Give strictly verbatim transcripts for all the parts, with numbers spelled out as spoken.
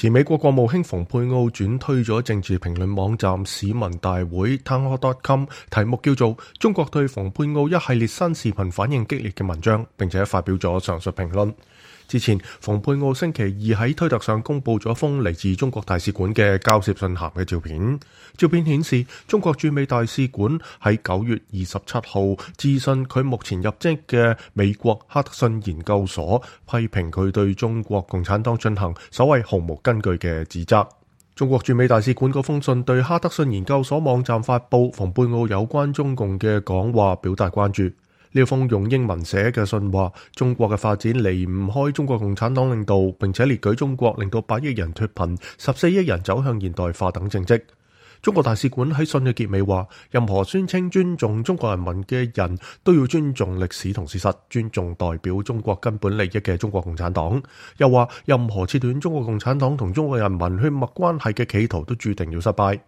前美國國務卿蓬佩奧轉推咗政治評論網站市民大會 townhall dot com， 題目叫做中國對蓬佩奧一系列新視頻反應激烈嘅文章，並且發表咗上述評論。之前，蓬佩奧星期二喺推特上公布咗封嚟自中國大使館嘅交涉信函嘅照片。照片顯示，中國駐美大使館喺九月二十七號致信佢目前入職嘅美國哈德遜研究所，批評佢對中國共產黨進行所謂毫無根據嘅指責。中國駐美大使館嗰封信對哈德遜研究所網站發布蓬佩奧有關中共嘅講話表達關注。呢封用英文寫嘅信話，中國嘅發展離唔開中國共產黨領導，並且列舉中國令到八億人脫貧、十四億人走向現代化等政績。中國大使館喺信嘅結尾話，任何宣稱尊重中國人民嘅人都要尊重歷史同事實，尊重代表中國根本利益嘅中國共產黨。又話，任何切斷中國共產黨同中國人民血脈關係嘅企圖都注定要失敗。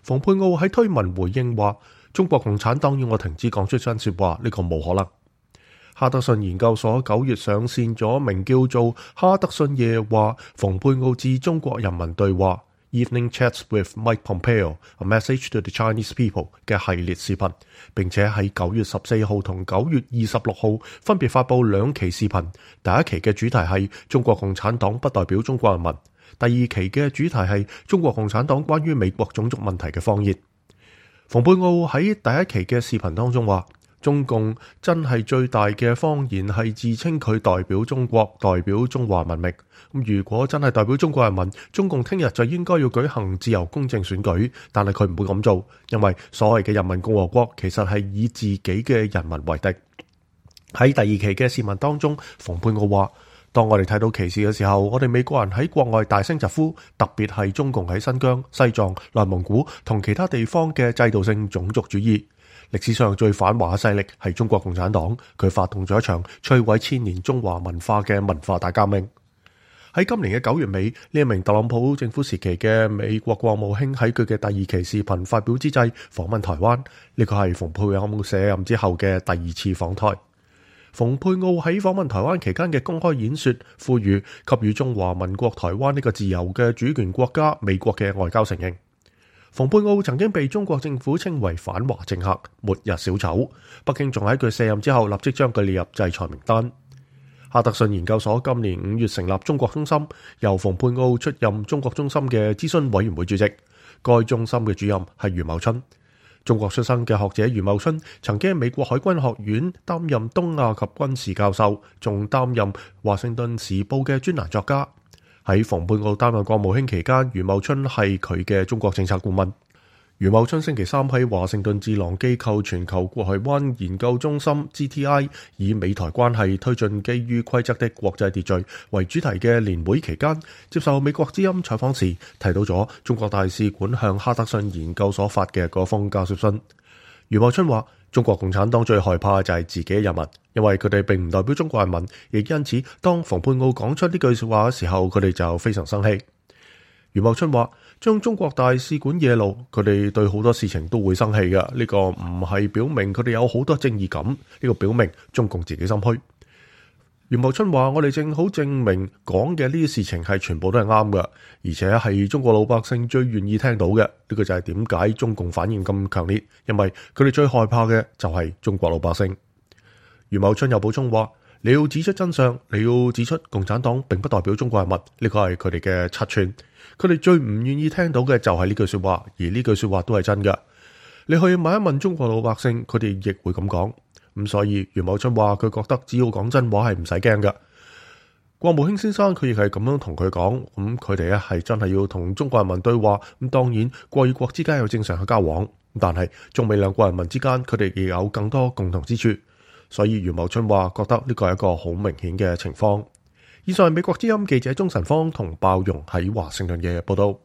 蓬佩奧喺推文回應話，中國共產黨要我停止講出真說話，呢個冇可能。哈德遜研究所九月上線咗名叫做《哈德遜夜話：蓬佩奧致中國人民對話 Evening Chats with Mike Pompeo: A Message to the Chinese People》嘅系列視頻，並且喺九月十四號同九月二十六號分別發布兩期視頻。第一期嘅主題係中國共產黨不代表中國人民，第二期嘅主題係中國共產黨關於美國種族問題嘅謊言。蓬佩奧喺第一期嘅視頻當中話，中共真係最大嘅謊言係自稱佢代表中國，代表中華文明。咁如果真係代表中國人民，中共聽日就應該要舉行自由公正選舉，但係佢唔會咁做，因為所謂嘅人民共和國其實係以自己嘅人民為敵。喺第二期嘅視頻當中，蓬佩奧話，當我哋睇到歧視嘅時候，我哋美國人喺國外大聲疾呼，特別係中共喺新疆、西藏、內蒙古同其他地方嘅制度性種族主義。歷史上最反華嘅勢力係中國共產黨，佢發動咗一場摧毀千年中華文化嘅文化大革命。喺今年嘅九月尾，呢一名特朗普政府時期嘅美國國務卿喺佢嘅第二期視頻發表之際訪問台灣，呢個係蓬佩奧卸任之後嘅第二次訪台。蓬佩奧喺訪問台灣期間嘅公開演說，呼籲給予中華民國台灣呢個自由嘅主權國家美國嘅外交承認。蓬佩奧曾經被中國政府稱為反華政客、末日小丑，北京仲喺佢卸任之後立即將佢列入制裁名單。哈德遜研究所今年五月成立中國中心，由蓬佩奧出任中國中心嘅諮詢委員會主席，該中心嘅主任係余茂春。中國出生嘅學者余茂春曾經喺美國海軍學院擔任東亞及軍事教授，仲擔任華盛頓時報嘅專欄作家。喺蓬佩奧擔任國務卿期間，余茂春係佢嘅中國政策顧問。余茂春星期三喺華盛頓智囊機構全球國際灣研究中心 G T I 以美台關係推進基於規則的國際秩序為主題嘅年會期間，接受美國之音採訪時提到咗中國大使館向哈德遜研究所發嘅嗰封交涉信。余茂春話，中國共產黨最害怕就係自己嘅人民，因為佢哋並唔代表中國人民，亦因此當蓬佩奧講出呢句說話嘅時候，佢哋就非常生氣。余茂春話，將中國大使館惹怒，佢哋對好多事情都會生氣嘅。呢個唔係表明佢哋有好多正義感，呢個表明中共自己心虛。余茂春話，我哋正好證明講嘅呢啲事情係全部都係啱嘅，而且係中國老百姓最願意聽到嘅。呢個就係點解中共反應咁強烈，因為佢哋最害怕嘅就係中國老百姓。余茂春又補充話，你要指出真相，你要指出共產黨並不代表中國人民，呢個係佢哋嘅七寸。佢哋最唔願意聽到嘅就係呢句說話，而呢句說話都係真嘅。你去問一問中國老百姓，佢哋亦會咁講。咁所以余茂春話，佢覺得只要講真話係唔使驚嘅。國務卿先生佢亦係咁樣同佢講，咁佢哋咧係真係要同中國人民對話。咁當然國與國之間有正常嘅交往，但係中美兩國人民之間佢哋亦有更多共同之處。所以余茂春話覺得呢個係一個好明顯嘅情況。以上係美國之音記者鍾晨芳同鮑容喺華盛頓嘅報道。